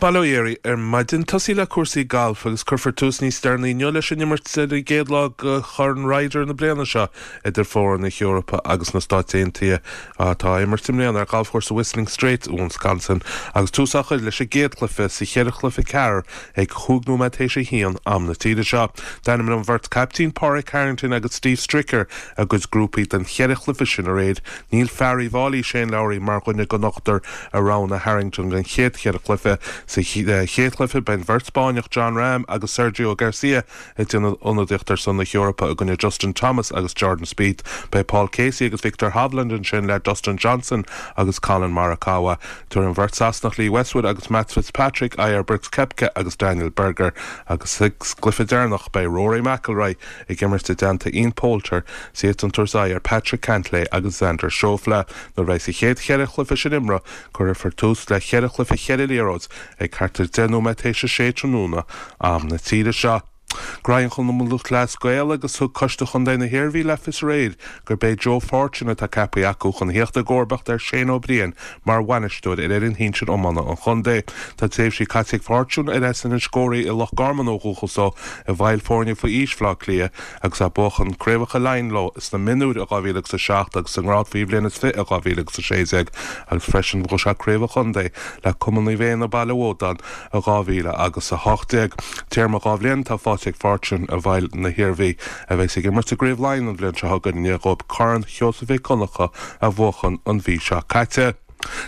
Bail ó Dhia oraibh ar maidin. Tosaí le cúrsaí gailf agus cuirfear tús níos deireanaí inniu leis an imirt ar an gcéad lá de Chorn Ryder na bliana seo idir foireann na hEorpa agus na Stáit Aontaithe atá á imirt i mbliana ar ghalfchúrsa Whistling Straits i Wisconsin agus tús á chur leis an gcéad chluiche sa cheithre chluiche ceathrar ag chúig nóiméad théis a haon am na tíre seo. D'ainmnigh an bheirt caiptín Pádraig Harrington agus Steve Stricker a gcuid grúpaí don cheithre chluiche sin aréir. Níl fear Uíbh Fhailí, Shane Lowry, mar dhuine den ochtar a roghnaigh Harrington don chéad cheithre chluiche. Sa chéad chluiche, beidh an bheirt Spáinneach Jon Rahm agus Sergio Garcia ag déanamh ionadaíocht ar son na hEorpa i gcoinne Justin Thomas agus Jordan Spieth. Beidh Paul Casey agus Viktor Hovland ansin le Dustin Johnson agus Collin Morikawa. Tabharfaidh an bheirt Sasanach Lee Westwood agus Matt Fitzpatrick aghaidh ar Brooks Koepka agus Daniel Berger agus sa gcluiche deireanach beidh Rory McIlroy ag imirt i dteannta Ian Poulter, is iadsan ag tabhairt aghaidh ar Patrick Cantlay agus Xander Schauffele. Nuair a bheidh sa chéad cheithre chluiche sin imeartha, cuirfear tús le cheithre chluiche cheithre liathróid ag thart ar 10 nóiméad théis a sé tráthnóna, am na tíre seo. Gnóthaí an Chumann Lúthchleas Gael agus thug Coiste Chontae na hIarmhí le fios aréir gurb é Joe Fortune atá ceaptha acu chun theacht i gcomharbacht ar Shane Ó Briain mar bhainisteoir ar fhoireann shinsir iomána an chontae. Tá tréimhsí caite ag Fortune, ar as Inis Góraidh i Loch Garman ó dhúchas dó, i bhfeighil foirne faoi aois Bhaile Átha Cliath agus é ag buachan craobhacha Laighean leo sna mionúir i 2007 agus sa ngrád faoi bhliain is 20 i 2016 agus freisin bhuaigh sé craobh an chontae le Cumann Naomh Éanna Baile Mhódáin i 2018. Téarma 2 bhliain atá faighte ag Fortune i bhfeighil na hIarmhí, a bheas ag imirt i gCraobh Laighean an bhliain seo chugainn i ndiaidh dóibh Corn Sheosaimh Mhic Dhonncha a bhuachan an mhí seo caite.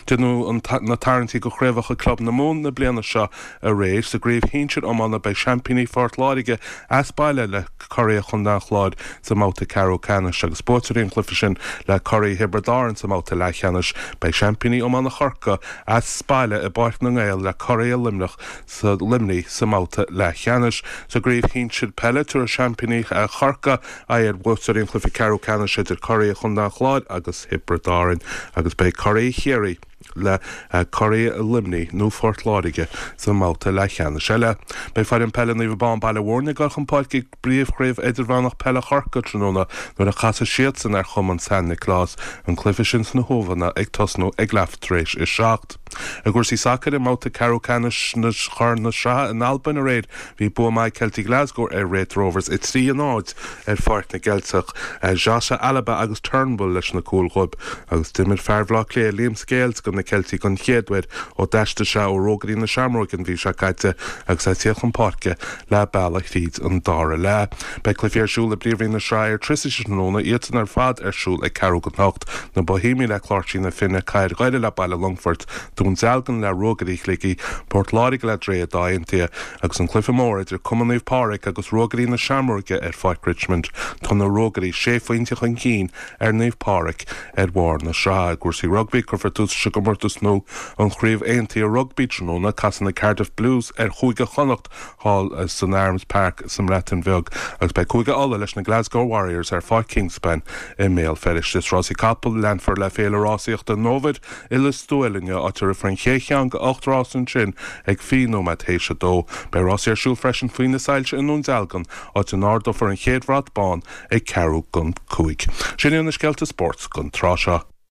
Déanadh na tarraingtí do chraobhacha club na Mumhan na bliana seo aréir. Sa gcraobh shinsir iomána beidh seaimpíní Phort Láirge as baile le curaidh Chontae an Chláir sa mbabhta ceathrú ceannais agus buaiteoirí an chluiche sin le curaidh Thiobraid Árann sa mbabhta leathcheannais. Beidh seaimpíní iomána Chorcaí as baile i bPáirc na nGael le curaidh Luimneach sa Luimnigh sa mbabhta leathcheannais. Sa gcraobh shinsir peile, tabharfaidh seaimpíní Chorcaí aghaidh ar bhuaiteoirí an chluiche ceathrú ceannais idir curaidh Chontae an Chláir agus Thiobraid Árann agus beidh curaidh Chiarraí le curaidh Luimnigh nó Phort Láirge sa mbabhta leathcheannais eile. Beidh foireann peile Naomh Abán Baile Mhúirne ag dul chun páirce i bPríomhchraobh Idirmheánach Peile Chorcaí tráthnóna nuair a chasfaidh siadsan ar Chumann San Nioclás, an cluiche sin sna hUamhanna ag tosnú ag leath tar éis a 7. I gcúrsaí sacair, i mbabhta ceathrú ceannais Chorn na Sraithe in Albain aréir, bhí bua maith ag Celtic Glasgow ar Raith Rovers, 3, 0, ar Pháirc na gCeilteach. Jota, Alaba agus Turnbull leis na cúil dhóibh agus d'imir fear Bhaile Átha Cliath, Liam Scales do na Ceiltigh don chéad uair ó d'aistrigh sé ó Ruagairí na Seamróige an mhí seo caite agus é ag tíocht chun páirce leath bealaigh thríd an dara leath. Beidh cluichí ar siúl i bPríomhroinn na Sraithe Airtricity tráthnóna, iadsan ar fad ar siúl ag ceathrú don hocht. Na Boihéamaigh le Cláirsí na Finne, Cathair Dhoire le Baile Longfoirt, Dún Dealgan le Ruagairí Shligigh, Port Láirge le Droichead Átha Aontaithe agus an cluiche mór idir Cumann Naomh Pádraig agus Ruagairí na Seamróige ar Pháirc Richmond. Tá na Ruagairí sé phointe chun cinn ar Naomh Pádraig ar bharr na sraithe. I gcúrsaí rugbaí, cuirfear tús leis an gcomórtas nua, an Chraobh Aontaithe Rugbaí, tráthnóna. Casfaidh na Cardiff Blues ar Chúige Chonnacht thall san Arms Park sa mBreatain Bheag agus beidh Cúige Uladh leis na Glasgow Warriors ar Pháirc Kingspan i mBéal Feirste. Sna rásaí capall, leanfar le Féile Rásaíochta an Fhómhair i Lios Tuathail inniu, áit a rithfear an chéad cheann de 8 rás ansin ag 20 nóiméad théis a dó. Beidh rásaí ar siúl freisin faoi na soilse i nDún Dealgan, áit a n-ardófar an chéad bhrat bán ag ceathrú don 5. Sin iad na scéalta spóirt don tráth seo.